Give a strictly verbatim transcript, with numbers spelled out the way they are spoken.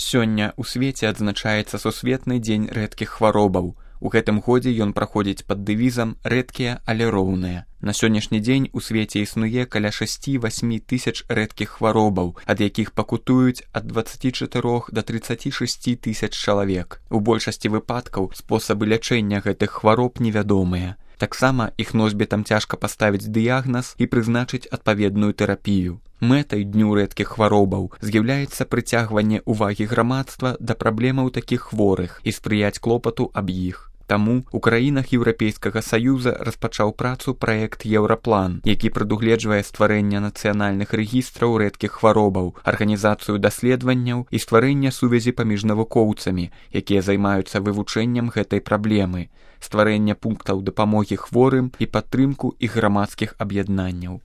Сёння ў свеце адзначаецца сусветны дзень рэдкіх хваробаў. У гэтым годзе ён праходзіць пад дэвізам «Рэдкія, але роўныя». На сённяшні дзень у свеце існуе каля шасці-васьмі тысяч рэдкіх хваробаў, ад якіх пакутуюць ад дваццаці чатырох да трыццаці шасці тысяч чалавек. У большасці выпадкаў спосабы лячэння гэтых хвароб невядомыя. Таксама іх носьбітам цяжка паставіць дыягназ і прызначыць адпаведную тэрапію. Мэтай дню рэдкіх хваробаў з'яўляецца прыцягванне ўвагі грамадства да праблемаў такіх хворых і спрыяць клопату аб іх. Таму у краінах Еўрапейскага Саюза распачаў працу праект «Еўраплан», які прадугледжвае стварэнне нацыянальных рэгістраў рэдкіх хваробаў, арганізацыю даследаванняў і стварэнне сувязі паміж навукоўцамі, якія займаюцца вывучэннем гэтай праблемы, стварэнне пунктаў дапамогі хворым і падтрымку іх грамадскіх аб'яднанняў.